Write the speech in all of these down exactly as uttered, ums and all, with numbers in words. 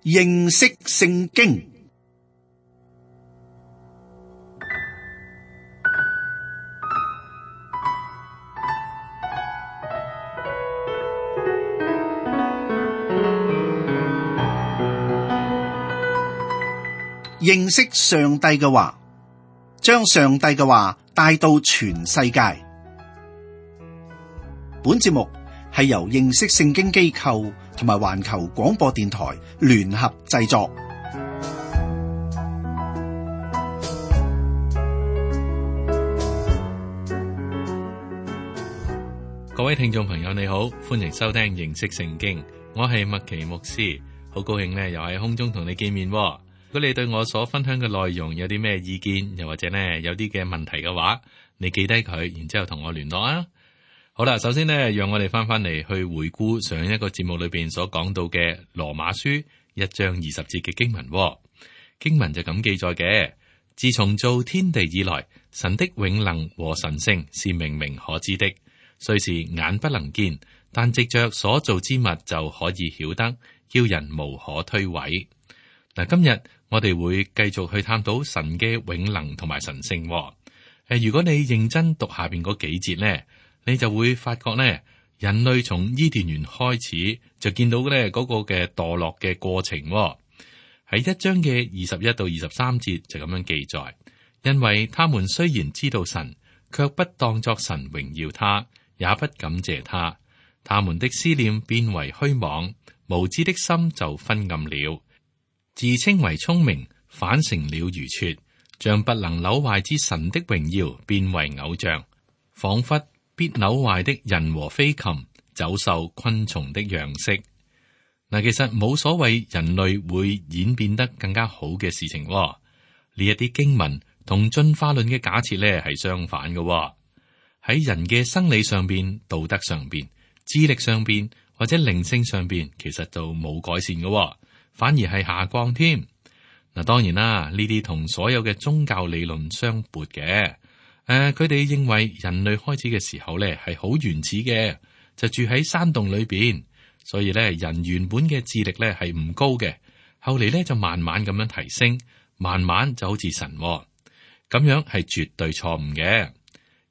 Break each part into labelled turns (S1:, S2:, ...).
S1: 認識聖經。認識上帝嘅話，將上帝嘅話帶到全世界。本節目係由認識聖經機構同埋環球廣播電台聯合製作。
S2: 各位聽眾朋友你好，歡迎收聽認識聖經，我係麥奇牧師，好高興呢又喺空中同你見面。如果你對我所分享嘅內容有啲咩意見，又或者呢有啲嘅問題嘅話，你記低佢，然之後同我聯絡啊。好啦，首先呢，讓我哋翻翻嚟去回顧上一個節目裏邊所講到嘅羅馬書一章二十節嘅經文。經文就咁記載嘅：自從造天地以來，神的永能和神性是明明可知的，雖是眼不能見，但藉着所造之物就可以曉得，叫人無可推諉。嗱，今日我哋會繼續去探討神嘅永能同埋神性。誒，如果你認真讀下邊嗰幾節呢，你就會發覺呢，人類從伊甸園開始就見到咧嗰個嘅墮落嘅過程。喺一章嘅二十一到二十三節就咁樣記載，因為他們雖然知道神，卻不當作神榮耀他，也不感謝他，他們的思念變為虛妄，無知的心就昏暗了。自稱為聰明，反成了愚拙，將不能朽壞之神的榮耀變為偶像，仿佛必朽壞的人和飛禽、走獸、昆蟲的樣式。嗱，其實冇所謂人類會演變得更加好嘅事情。呢一啲經文同進化論嘅假設咧係相反嘅。喺人嘅生理上邊、道德上邊、智力上邊或者靈性上邊，其實就冇改善嘅。反而係下降添。嗱，當然啦，呢啲同所有嘅宗教理論相悖嘅。誒、呃，佢哋認為人類開始嘅時候咧係好原始嘅，就住喺山洞裏邊，所以咧人原本嘅智力咧係唔高嘅。後嚟咧就慢慢咁樣提升，慢慢就好似神咁樣，係絕對錯誤嘅。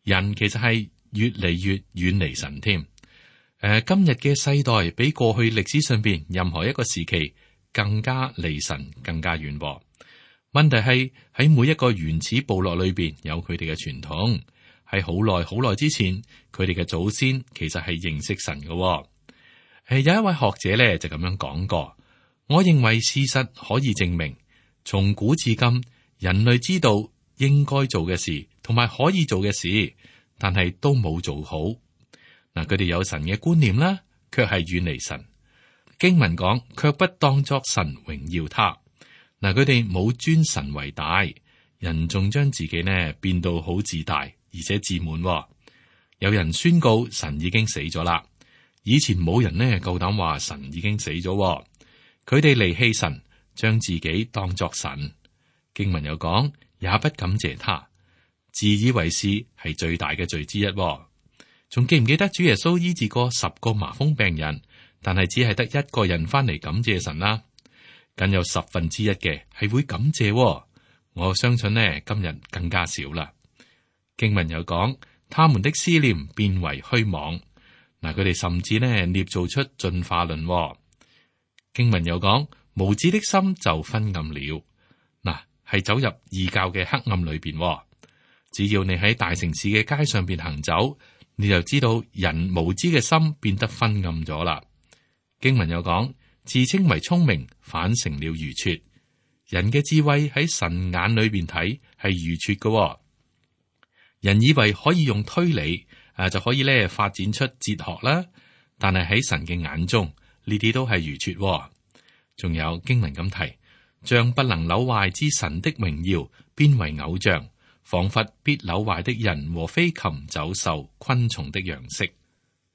S2: 人其實係越嚟越遠離神添。誒、呃，今日嘅世代比過去歷史上邊任何一個時期更加離神，更加遠喎。問題係喺每一個原始部落裏邊有佢哋嘅傳統，喺好耐好耐之前，佢哋嘅祖先其實係認識神嘅。誒、呃，有一位學者咧就咁樣講過，我認為事實可以證明，從古至今，人類知道應該做嘅事同埋可以做嘅事，但係都冇做好。嗱，佢哋有神嘅觀念啦，卻係遠離神。經文講，卻不當作神榮耀他。嗱，佢哋冇尊神為大，人仲將自己呢變到好自大，而且自滿。有人宣告神已經死咗啦，以前冇人呢夠膽話神已經死咗。佢哋離棄神，將自己當作神。經文又講，也不感謝他，自以為是係最大嘅罪之一。仲記唔記得主耶穌醫治過十個麻風病人？但係只係得一個人翻嚟感謝神啦，僅有十分之一嘅係會感謝。我相信呢，今日更加少啦。經文又講，他們的思念變為虛妄。嗱，佢哋甚至呢捏造出進化論。經文又講，無知的心就昏暗了。嗱，係走入異教嘅黑暗裏邊。只要你喺大城市嘅街上邊行走，你就知道人無知嘅心變得昏暗咗啦。經文又講，自稱為聰明，反成了愚拙。人嘅智慧喺神眼裏邊睇係愚拙嘅。人以為可以用推理誒就可以咧發展出哲學啦，但係喺神嘅眼中呢啲都係愚拙。仲有經文咁提，將不能朽壞之神的榮耀變為偶像，仿佛必朽壞的人和飛禽、走獸、昆蟲的樣式。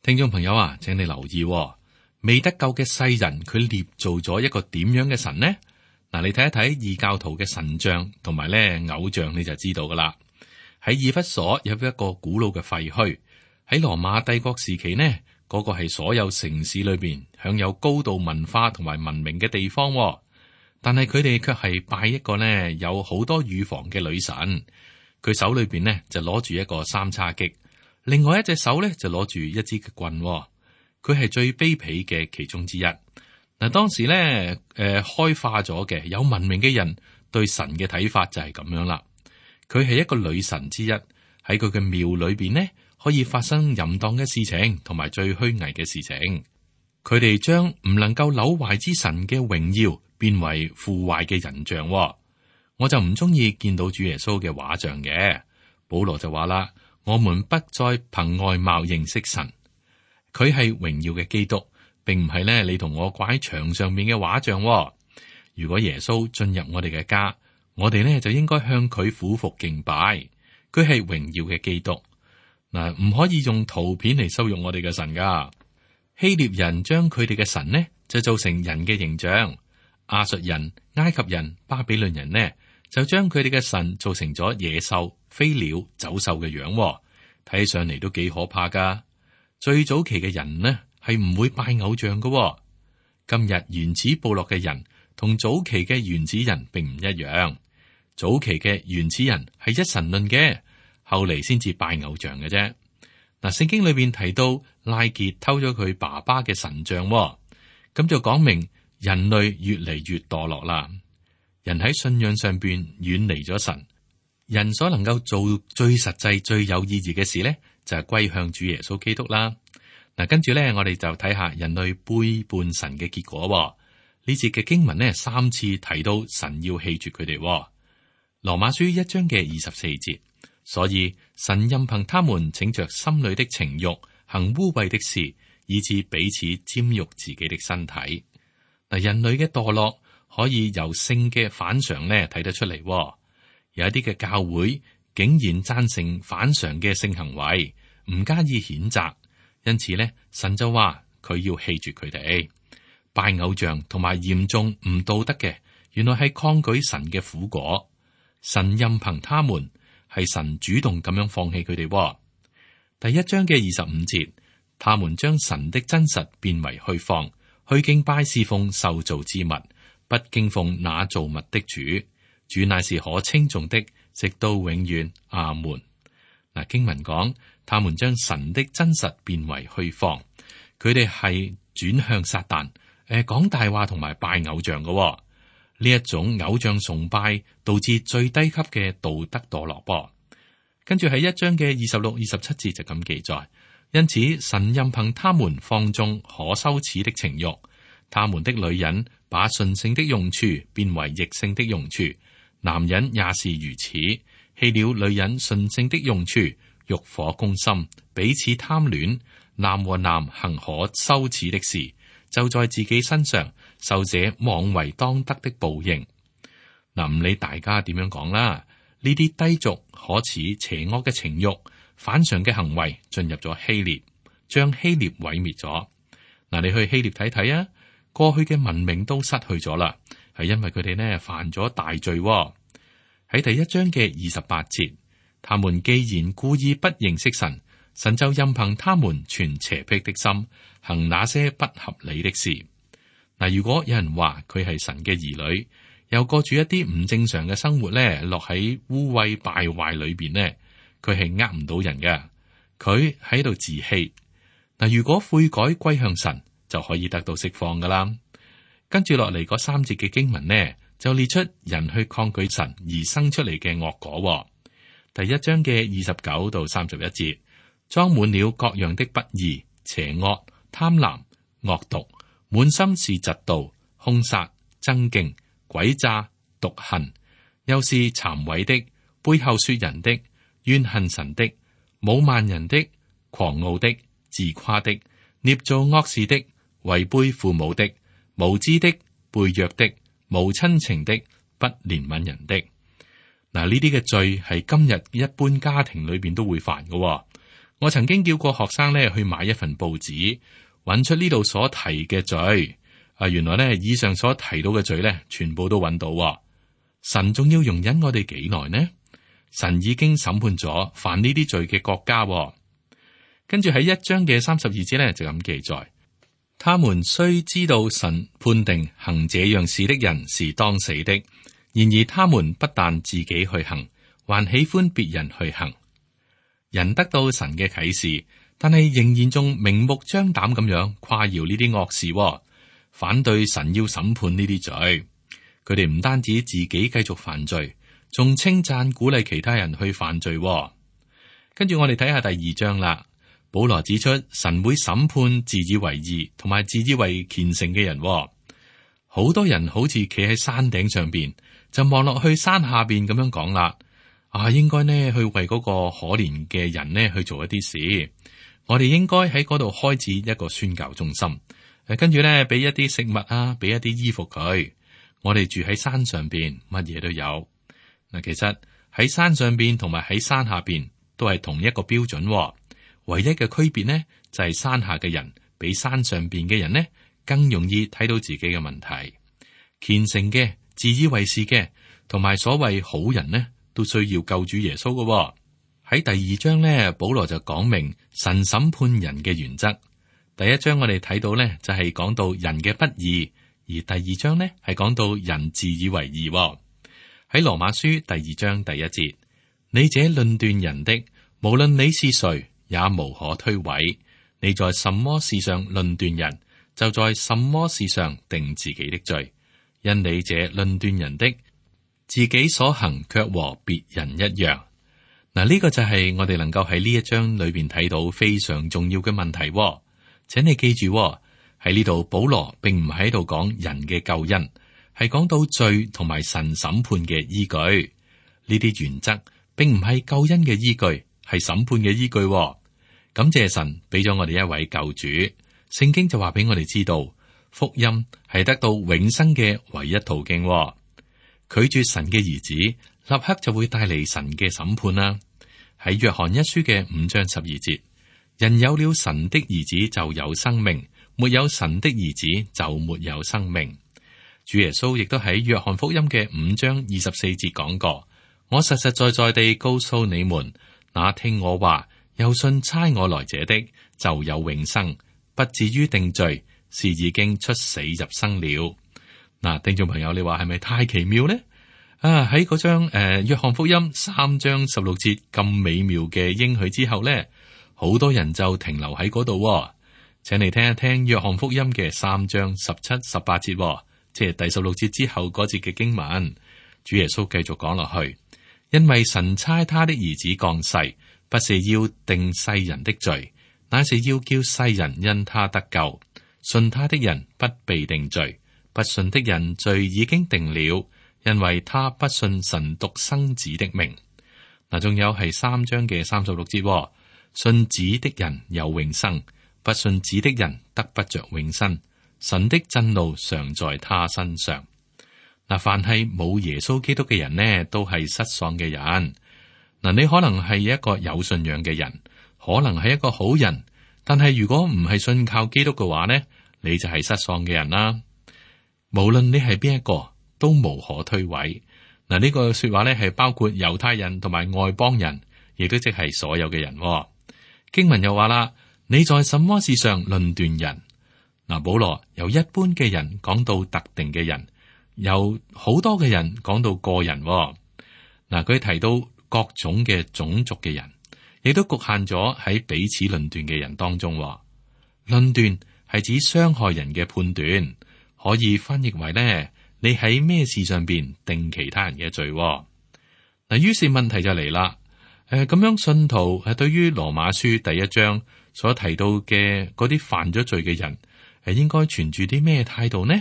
S2: 聽眾朋友啊，請你留意。未得救嘅世人，佢捏造咗一個點樣嘅神呢？嗱，你睇一睇異教徒嘅神像同埋咧偶像，你就知道噶啦。喺以弗所有一個古老嘅廢墟，喺羅馬帝國時期呢，嗰、那個係所有城市裏邊享有高度文化同埋文明嘅地方。但係佢哋卻係拜一個呢有好多乳房嘅女神，佢手裏邊呢就攞住一個三叉戟，另外一隻手呢就攞住一支嘅棍，佢係最卑鄙嘅其中之一。嗱，當時呢誒、呃、開化咗嘅有文明嘅人對神嘅睇法就係咁樣啦。佢係一個女神之一，喺佢嘅廟裏邊呢可以發生淫蕩嘅事情同埋最虛偽嘅事情。佢哋將唔能夠朽壞之神嘅榮耀變為腐壞嘅人像。我就唔中意見到主耶穌嘅畫像嘅。保羅就話啦，我們不再憑外貌認識神。佢係榮耀嘅基督，並唔係咧你同我掛喺牆上面嘅畫像。如果耶穌進入我哋嘅家，我哋呢就應該向佢俯伏敬拜。佢係榮耀嘅基督。嗱，唔可以用圖片嚟羞辱我哋嘅神噶。希臘人將佢哋嘅神呢就做成人嘅形象，亞述人、埃及人、巴比倫人呢就將佢哋嘅神做成咗野獸、飛鳥、走獸嘅樣，睇上嚟都幾可怕噶。最早期嘅人呢係唔會拜偶像噶。今日原始部落嘅人同早期嘅原始人並唔一樣。早期嘅原始人係一神論嘅，後嚟先至拜偶像嘅啫。嗱，聖經裏邊提到拉結偷咗佢爸爸嘅神像，咁就講明人類越嚟越墮落啦。人喺信仰上邊遠離咗神，人所能夠做最實際、最有意義嘅事咧，就係歸向主耶穌基督啦。嗱，跟住咧，我哋就睇下人類背叛神嘅結果。呢節嘅經文呢，三次提到神要棄絕佢哋。羅馬書一章嘅二十四節。所以神任憑他們逞着心裏的情欲，行污穢的事，以致彼此沾辱自己的身體。嗱，人類嘅墮落可以由性嘅反常咧睇得出嚟。有一啲嘅教會竟然贊成反常嘅性行為，唔加以譴責，因此咧神就話佢要棄絕佢哋。拜偶像同埋嚴重唔道德嘅，原來係抗拒神嘅苦果。神任憑他們。係神主動咁樣放棄佢哋。第一章嘅二十五節，他們將神的真實變為虛謊，去敬拜侍奉受造之物，不敬奉那造物的主。主乃是可稱頌的，直到永遠。阿門。嗱，經文講，他們將神的真實變為虛謊，佢哋係轉向撒旦，誒，講大話同埋拜偶像嘅。呢一種偶像崇拜導致最低級嘅道德墮落噃。跟住喺一章嘅二十六、二十七節就咁記載，因此神任憑他們放縱可羞恥的情欲，他們的女人把順性的用處變為逆性的用處，男人也是如此，棄了女人順性的用處，欲火攻心，彼此貪戀，男和男行可羞恥的事，就在自己身上受這妄為當得的報應。嗱，唔理大家點樣講啦，呢啲低俗、可恥、邪惡嘅情欲、反常嘅行為進入咗希臘，將希臘毀滅咗。嗱，你去希臘睇睇啊，過去嘅文明都失去咗啦，係因為佢哋呢犯咗大罪。喺第一章嘅二十八節，他們既然故意不認識神，神就任憑他們存邪僻的心，行那些不合理的事。嗱，如果有人話佢係神嘅兒女，又過住一啲唔正常嘅生活咧，落喺污穢敗壞裏邊呢，佢係呃唔到人嘅，佢喺度自欺。嗱，如果悔改歸向神，就可以得到釋放噶啦。跟住落嚟嗰三節嘅經文呢，就列出人去抗拒神而生出嚟嘅惡果。第一章嘅二十九到三十一節，裝滿了各樣的不義、邪惡、貪婪、惡毒，滿心是嫉妒、兇殺、爭競、詭詐、毒恨，又是讒毀的、背後說人的、怨恨神的、侮慢人的、狂傲的、自誇的、捏造惡事的、違背父母的、無知的、背約的、無親情的、不憐憫人的。嗱，呢啲嘅罪係今日一般家庭裏邊都會犯嘅。我曾經叫過學生咧去買一份報紙，揾出呢度所提嘅罪。啊，原來咧以上所提到嘅罪咧，全部都揾到。神仲要容忍我哋幾耐呢？神已經審判咗犯呢啲罪嘅國家。跟住喺一章嘅三十二節咧就咁記載，他們雖知道神判定行這樣事的人是當死的，然而他們不但自己去行，還喜歡別人去行。人得到神嘅啟示，但係仍然仲明目張膽咁樣誇耀呢啲惡事，反對神要審判呢啲罪。佢哋唔單止自己繼續犯罪，仲稱讚鼓勵其他人去犯罪。跟住我哋睇下第二章啦。保羅指出，神會審判自以為義同埋自以為虔誠嘅人。好多人好似企喺山頂上邊，就望落去山下邊咁樣講啦。啊，應該呢去為嗰個可憐嘅人呢去做一啲事。我哋應該喺嗰度開始一個宣教中心。誒，跟住呢俾一啲食物啊，俾一啲衣服佢。我哋住喺山上邊，乜嘢都有。嗱，其實喺山上邊同埋喺山下邊都係同一個標準。唯一嘅區別呢，就係山下嘅人比山上邊嘅人呢更容易睇到自己嘅問題。虔誠嘅、自以為是嘅，同埋所謂好人呢，都需要救主耶穌嘅。喺第二章呢，保羅就講明神審判人嘅原則。第一章我哋睇到呢，就係講到人嘅不義，而第二章呢係講到人自以為義。喺羅馬書第二章第一節，你這論斷人的，無論你是誰，也無可推諉。你在什麼事上論斷人，就在什麼事上定自己的罪。因你這論斷人的，自己所行卻和別人一樣。嗱，呢個就係我哋能夠喺呢一章裏邊睇到非常重要嘅問題。請你記住，喺呢度保羅並唔喺度講人嘅救恩，係講到罪同埋神審判嘅依據。呢啲原則並唔係救恩嘅依據，係審判嘅依據。感謝神俾咗我哋一位救主。聖經就話俾我哋知道，福音係得到永生嘅唯一途徑。拒絕神嘅兒子，立刻就會帶嚟神嘅審判啦。喺約翰一書嘅五章十二節，人有了神的兒子就有生命，沒有神的兒子就沒有生命。主耶穌亦都喺約翰福音嘅五章二十四節講過：我實實在在地告訴你們，那聽我話又信差我來者的，就有永生，不至於定罪，是已經出死入生了。嗱，聽眾朋友，你話係咪太奇妙呢？啊，喺嗰張誒約翰福音三章十六節咁美妙嘅應許之後呢，好多人就停留喺嗰度。請你聽一聽約翰福音嘅三章十七、十八節，即係第十六節之後嗰節嘅經文。主耶穌繼續講落去，因為神差他的兒子降世，不是要定世人的罪，乃是要叫世人因他得救。信他的人不被定罪，不信的人罪已經定了，因為他不信神獨生子的名。嗱，仲有係三章嘅三十六節，信子的人有永生，不信子的人得不着永生。神的震怒常在他身上。嗱，凡係冇耶穌基督嘅人呢，都係失喪嘅人。嗱，你可能係一個有信仰嘅人，可能係一個好人，但係如果唔係信靠基督嘅話呢，你就係失喪嘅人啦。無論你係邊一個，都無可推諉。嗱，呢個說話咧係包括猶太人同埋外邦人，亦都即係所有嘅人。經文又話啦，你在什麼事上論斷人？嗱，保羅由一般嘅人講到特定嘅人，由好多嘅人講到個人。嗱，佢提到各種嘅種族嘅人，亦都局限咗喺彼此論斷嘅人當中。論斷係指傷害人嘅判斷，可以翻譯為咧，你喺咩事上邊定其他人嘅罪。嗱，於是問題就嚟啦。誒，咁樣信徒係對於羅馬書第一章所提到嘅嗰啲犯咗罪嘅人，係應該存住啲咩態度呢？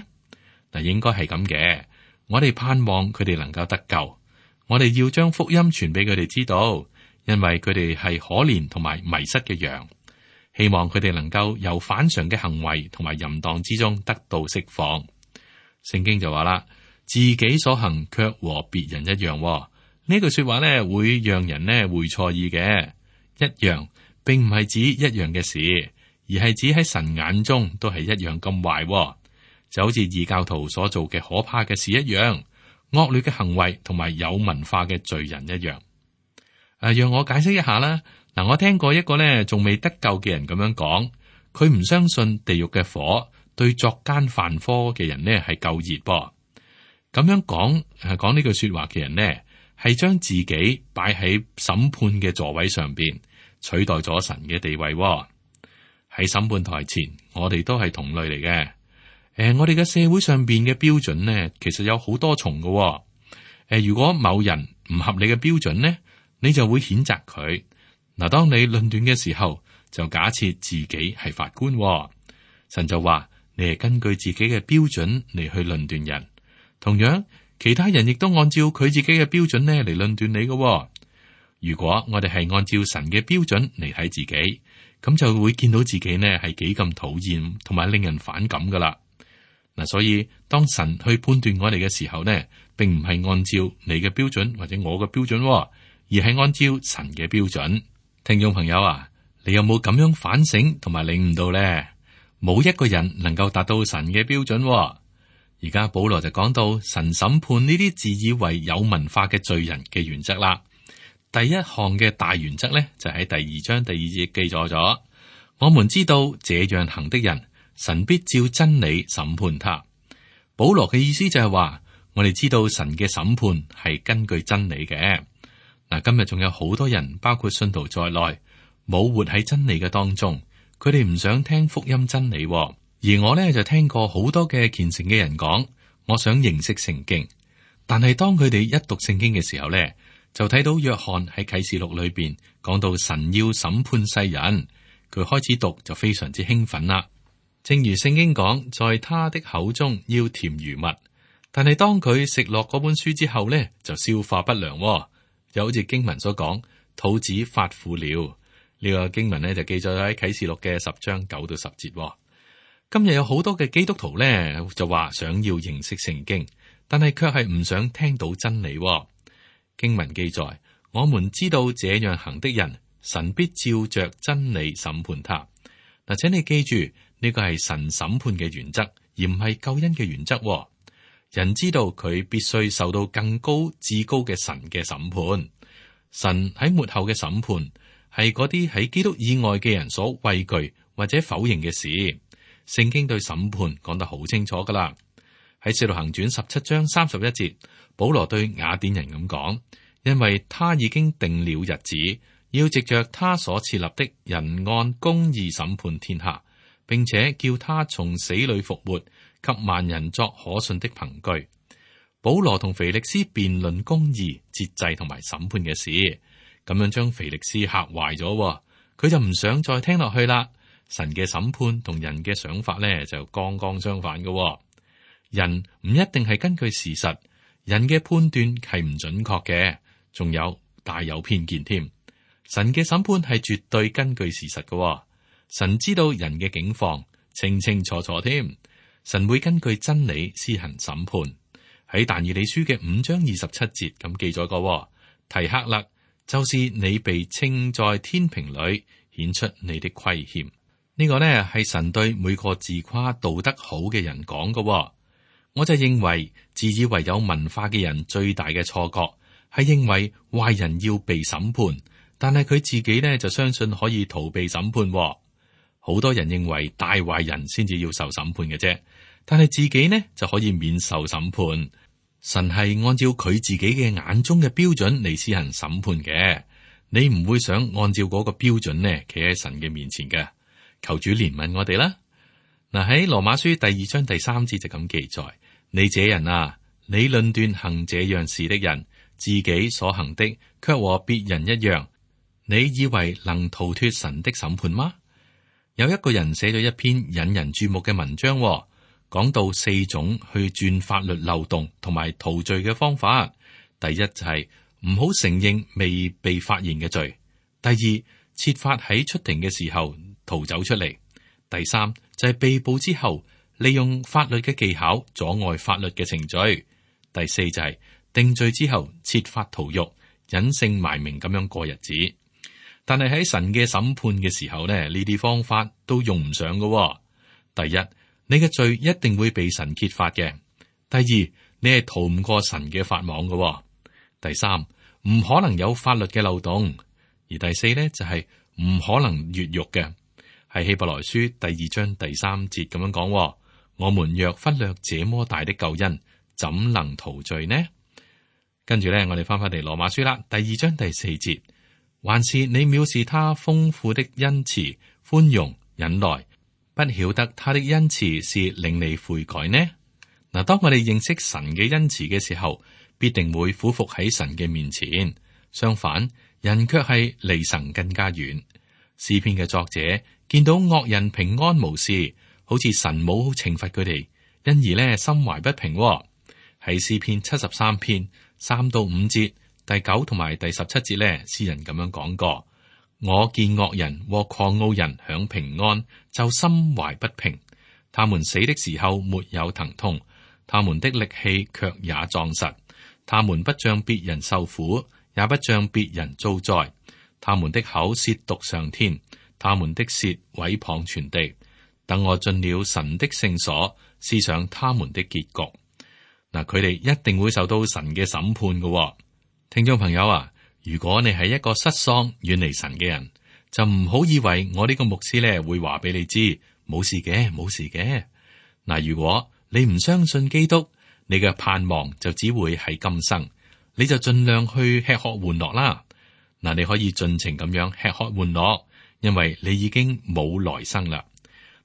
S2: 嗱，應該係咁嘅。我哋盼望佢哋能夠得救，我哋要將福音傳俾佢哋知道，因為佢哋係可憐同埋迷失嘅羊。希望佢哋能夠由反常嘅行為同埋淫蕩之中得到釋放。聖經就話啦，自己所行卻和別人一樣。呢句說話咧，會讓人咧會錯意嘅。一樣並唔係指一樣嘅事，而係指喺神眼中都係一樣咁壞，就好似異教徒所做嘅可怕嘅事一樣，惡劣嘅行為同埋有文化嘅罪人一樣。誒，讓我解釋一下啦。嗱，我聽過一個咧仲未得救嘅人咁樣講，佢唔相信地獄嘅火對作奸犯科嘅人呢係夠熱噃。咁樣講係講呢句說話嘅人呢，係將自己擺喺審判嘅座位上邊，取代咗神嘅地位喎。喺審判台前，我哋都係同類嚟嘅。誒、呃，我哋嘅社會上邊嘅標準呢，其實有好多重嘅喎。誒、呃，如果某人唔合理嘅標準呢，你就會譴責佢。嗱，當你論斷嘅時候，就假設自己係法官喎。神就話你係根據自己嘅標準嚟去論斷人。同樣，其他人亦都按照佢自己嘅標準咧嚟論斷你嘅喎。如果我哋係按照神嘅標準嚟睇自己，咁就會見到自己呢係幾咁討厭同埋令人反感噶啦。嗱，所以當神去判斷我哋嘅時候呢，並唔係按照你嘅標準或者我嘅標準喎，而係按照神嘅標準。聽眾朋友啊，你有冇咁樣反省同埋領悟到呢？冇一個人能夠達到神嘅標準喎。而家保羅就講到神審判呢啲自以為有文化嘅罪人嘅原則啦。第一項嘅大原則呢，就喺第二章第二節記載咗。我們知道這樣行的人，神必照真理審判他。保羅嘅意思就係話，我哋知道神嘅審判係根據真理嘅。嗱，今日仲有好多人，包括信徒在內，冇活喺真理嘅當中，佢哋唔想聽福音真理喎。而我呢，就聽過好多嘅虔誠嘅人講，我想認識聖經，但係當佢哋一讀聖經嘅時候呢，就睇到約翰喺啟示錄裏邊講到神要審判世人，佢開始讀就非常之興奮啦。正如聖經講，在他的口中要甜如蜜，但係當佢食落嗰本書之後呢，就消化不良喎，就好似經文所講，肚子發苦了。呢、這個經文呢，就記載喺啟示錄嘅十章九到十節喎。今日有好多嘅基督徒咧，就話想要認識聖經，但係卻係唔想聽到真理喎。經文記載，我們知道這樣行的人，神必照着真理審判他。嗱，請你記住，呢個係神審判嘅原則，而唔係救恩嘅原則喎。人知道佢必須受到更高至高嘅神嘅審判。神喺末後嘅審判係嗰啲喺基督以外嘅人所畏懼或者否認嘅事。聖經對審判講得好清楚噶啦，喺《使徒行傳》十七章三十一節，保羅對雅典人咁講，因為他已經定了日子，要藉着他所設立的人按公義審判天下，並且叫他從死裏復活，給萬人作可信的憑據。保羅同腓力斯辯論公義、節制同埋審判嘅事，咁樣將腓力斯嚇壞咗，佢就唔想再聽落去啦。神嘅審判同人嘅想法咧就剛剛相反嘅、哦，人唔一定係根據事實，人嘅判斷係唔準確嘅，仲有大有偏見添。神嘅審判係絕對根據事實嘅、哦，神知道人嘅境況清清楚楚添，神會根據真理施行審判。喺但以理書嘅五章二十七節咁記載過、哦，提克勒，就是你被稱在天平裏顯出你的虧欠。呢個呢係神對每個自誇道德好嘅人講嘅、哦，我就認為自以為有文化嘅人最大嘅錯覺係認為壞人要被審判，但係佢自己呢就相信可以逃避審判、哦。好多人認為大壞人先至要受審判嘅啫，但係自己呢就可以免受審判。神係按照佢自己嘅眼中嘅標準嚟施行審判嘅，你唔會想按照嗰個標準呢企喺神嘅面前嘅。求主憐憫我哋啦。嗱，喺羅馬書第二章第三節就咁記載：你這人啊，你論斷行這樣事的人，自己所行的卻和別人一樣，你以為能逃脫神的審判嗎？有一個人寫咗一篇引人注目嘅文章、哦，講到四種去鑽法律漏洞同埋逃罪嘅方法。第一就係唔好承認未被發現嘅罪；第二，設法喺出庭嘅時候逃走出嚟；第三就係、是、被捕之後，利用法律嘅技巧阻礙法律嘅程序；第四就係、是、定罪之後設法逃獄，隱姓埋名咁樣過日子。但係喺神嘅審判嘅時候呢，呢啲方法都用唔上㗎、哦。第一，你嘅罪一定會被神揭發嘅；第二，你係逃唔過神嘅法網㗎、哦；第三，唔可能有法律嘅漏洞；而第四呢，就係、是、唔可能越獄嘅。係希伯來書第二章第三節咁樣講：我們若忽略這麼大的救恩，怎能逃罪呢？跟住咧，我哋翻返嚟羅馬書啦，第二章第四節，還是你藐視他豐富的恩慈、寬容、忍耐，不曉得他的恩慈是令你悔改呢？嗱，當我哋認識神嘅恩慈嘅時候，必定會俯伏喺神嘅面前。相反，人卻係離神更加遠。詩篇嘅作者見到惡人平安無事，好似神冇懲罰佢哋，因而咧心懷不平。喺詩篇七十三篇三到五節、第九同埋第十七節咧，詩人咁樣講過：我見惡人和狂傲人享平安，就心懷不平。他們死的時候沒有疼痛，他們的力氣卻也壯實。他們不像別人受苦，也不像別人遭災。他們的口褻瀆上天，他們的舌毀謗全地。等我進了神的聖所，思想他們的結局。嗱，佢哋一定會受到神嘅審判嘅。聽眾朋友啊，如果你係一個失喪遠離神嘅人，就唔好以為我呢個牧師咧會話俾你知冇事嘅，冇事嘅。嗱，如果你唔相信基督，你嘅盼望就只會喺今生，你就盡量去吃喝玩樂啦。嗱，你可以盡情咁樣吃喝玩樂，因為你已經冇來生啦。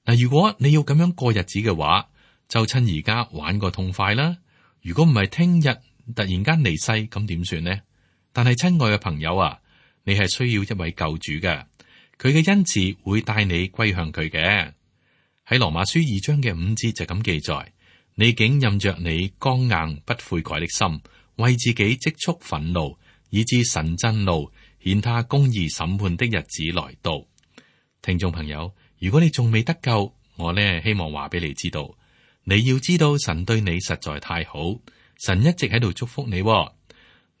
S2: 嗱，如果你要咁樣過日子嘅話，就趁而家玩個痛快啦。如果唔係聽日突然間離世，咁點算呢？但係親愛嘅朋友啊，你係需要一位救主嘅，佢嘅恩慈會帶你歸向佢嘅。喺羅馬書二章嘅五節就咁記載：你竟任着你剛硬不悔改的心，為自己積蓄憤怒，以致神震怒，顯他公義審判的日子來到。聽眾朋友，如果你仲未得救，我呢希望話俾你知道，你要知道神對你實在太好，神一直喺度祝福你。諗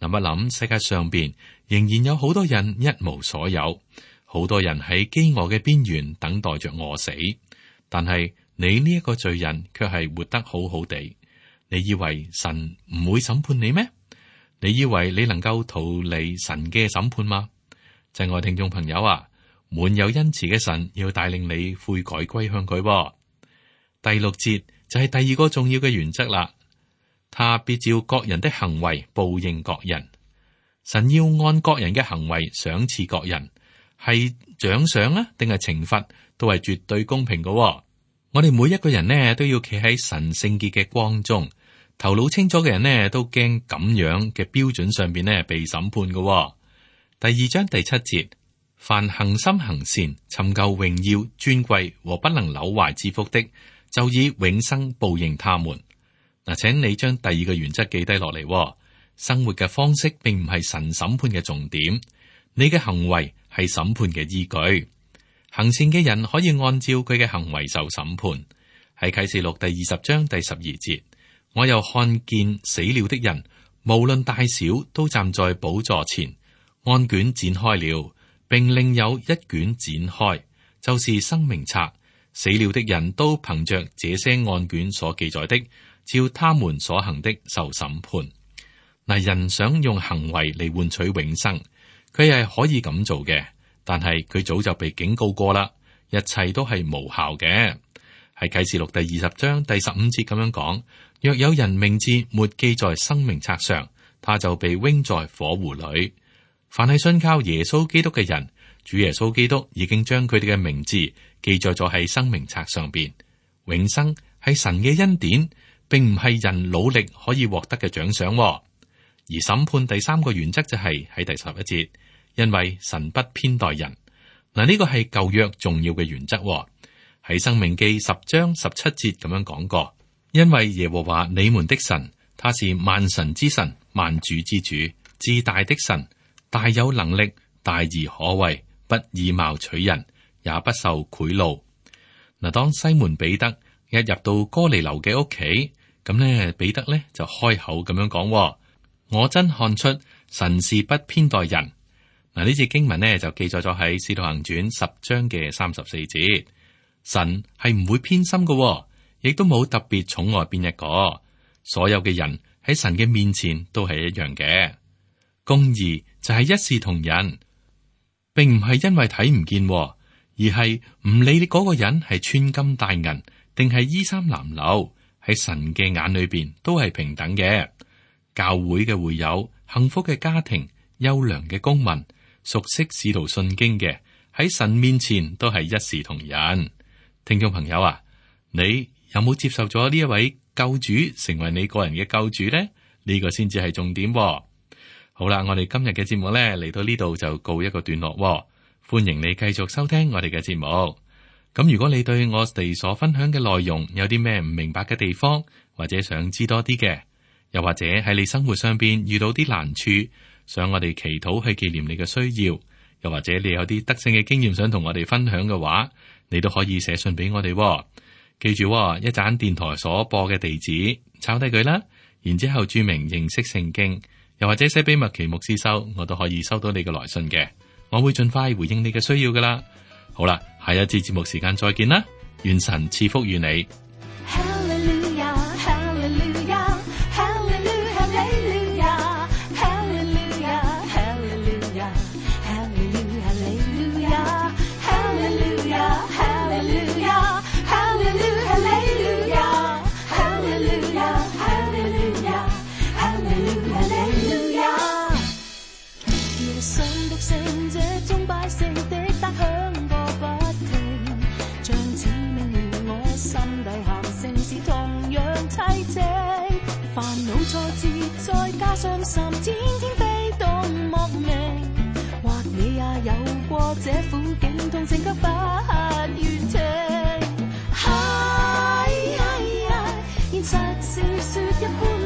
S2: 一諗，世界上邊仍然有好多人一無所有，好多人喺飢餓嘅邊緣等待着餓死，但係你呢一個罪人卻係活得好好地。你以為神唔會審判你咩？你以為你能夠逃離神嘅審判嗎？親愛聽眾朋友啊，滿有恩慈嘅神要帶領你悔改歸向佢。第六節就係第二個重要嘅原則啦。他必照各人的行為報應各人。神要按各人嘅行為賞賜各人，係獎賞啊，定係懲罰，都係絕對公平嘅。我哋每一個人呢，都要企喺神聖潔嘅光中，頭腦清楚嘅人呢，都驚咁樣嘅標準上邊呢被審判嘅。第二章第七節，凡恒心行善、尋求榮耀、尊貴和不能朽壞之福的，就以永生報應他們。嗱，請你將第二個原則記低落嚟。生活嘅方式並唔係神審判嘅重點，你嘅行為係審判嘅依據。行善嘅人可以按照佢嘅行為受審判。喺啟示錄第二十章第十二節，我又看見死了的人，無論大小，都站在寶座前，案卷展開了，並另有一卷展開，就是生命冊。死了的人都憑着這些案卷所記載的，照他們所行的受審判。嗱，人想用行為嚟換取永生，佢係可以咁做嘅，但係佢早就被警告過啦，一切都係無效嘅。喺啟示錄第二十章第十五節咁樣講：若有人名字沒記在生命冊上，他就被扔在火湖裏。凡係信靠耶穌基督嘅人，主耶穌基督已經將佢哋嘅名字記載咗喺生命冊上邊。永生係神嘅恩典，並唔係人努力可以獲得嘅獎賞。而審判第三個原則就係喺第十一節，因為神不偏待人。嗱，呢個係舊約重要嘅原則。喺申命記十章十七節咁樣講過，因為耶和華你們的神，他是萬神之神，萬主之主，至大的神，大有能力，大而可畏，不以貌取人，也不受賄賂。嗱，當西門彼得一入到哥尼流嘅屋企，咁呢彼得呢就開口咁樣講：我真看出神是不偏待人。嗱，呢節經文呢就記載咗喺《使徒行傳》十章嘅三十四節。神係唔會偏心嘅，亦都冇特別寵愛邊一個。所有嘅人喺神嘅面前都係一樣嘅。公義就係一視同仁，並唔係因為睇唔見，而而係唔理你嗰個人係穿金戴銀定係衣衫襤褸，喺神嘅眼裏邊都係平等嘅。教會嘅會友、幸福嘅家庭、優良嘅公民、熟悉使徒信經嘅，喺神面前都係一視同仁。聽眾朋友啊，你有冇接受咗呢一位救主成為你個人嘅救主呢？呢個先至係重點喎。好啦，我哋今日嘅節目呢嚟到呢度就告一個段落喎。歡迎你繼續收聽我哋嘅節目。咁如果你對我哋所分享嘅內容有啲咩唔明白嘅地方，或者想知多啲嘅，又或者喺你生活上邊遇到啲難處，想我哋祈禱去紀念你嘅需要，又或者你有啲得勝嘅經驗想同我哋分享嘅話，你都可以寫信俾我哋喎。記住喎，一盞電台所播嘅地址，抄低佢啦，然之後注明認識聖經，又或者寫俾麥奇牧師收，我都可以收到你嘅來信嘅。我會盡快回應你嘅需要噶啦。好啦，下一節節目時間再見啦，願神賜福於你。
S3: 再加上心天天飛動莫名，或你也有過這苦境，痛情卻不願停。嗨嗨呀，現實是雪一般。